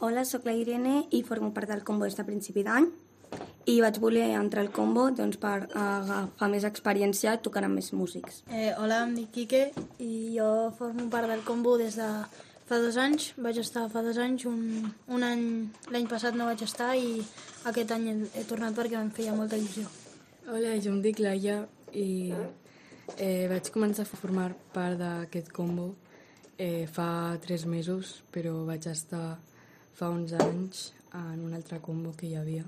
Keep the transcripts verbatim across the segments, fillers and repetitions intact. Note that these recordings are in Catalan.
Hola, sóc la Irene i formo part del combo des de principi d'any i vaig voler entrar al combo doncs, per agafar més experiència tocant amb més músics. Eh, hola, em dic Quique i jo formo part del combo des de fa dos anys. Vaig estar fa dos anys, un, un any l'any passat no vaig estar i aquest any he, he tornat perquè em feia molta il·lusió. Hola, jo em dic Laia i eh, vaig començar a formar part d'aquest combo eh, fa tres mesos, però vaig estar fa uns anys en un altre combo que hi havia.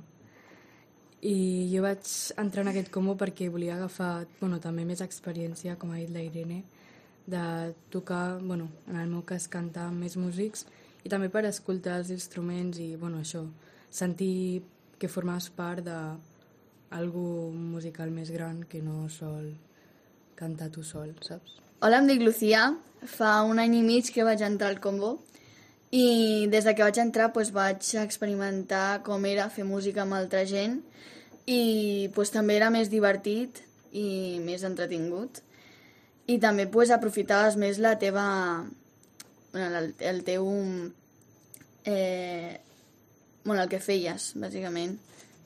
I jo vaig entrar en aquest combo perquè volia agafar bueno, també més experiència, com ha dit la Irene, de tocar, bueno, en el meu cas, cantar amb més músics i també per escoltar els instruments i bueno, això, sentir que formes part d'algú musical més gran que no sol cantar tu sol, saps? Hola, em dic Lucía. Fa un any i mig que vaig entrar al combo i des de que vaig entrar doncs, vaig experimentar com era fer música amb altra gent i doncs, també era més divertit i més entretingut. I també doncs, aprofitaves més la teva... Bueno, el, el teu... Eh, bueno, el que feies, bàsicament,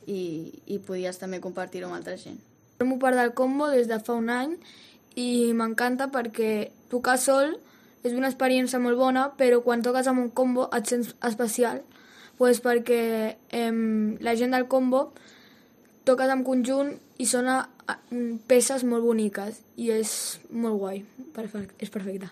i, i podies també compartir-ho amb altra gent. Formo part del combo des de fa un any i m'encanta perquè tocar sol és una experiència molt bona, però quan toques amb un combo et sents especial, doncs perquè eh, la gent del combo toques en conjunt i sona peces molt boniques i és molt guai, és perfecte.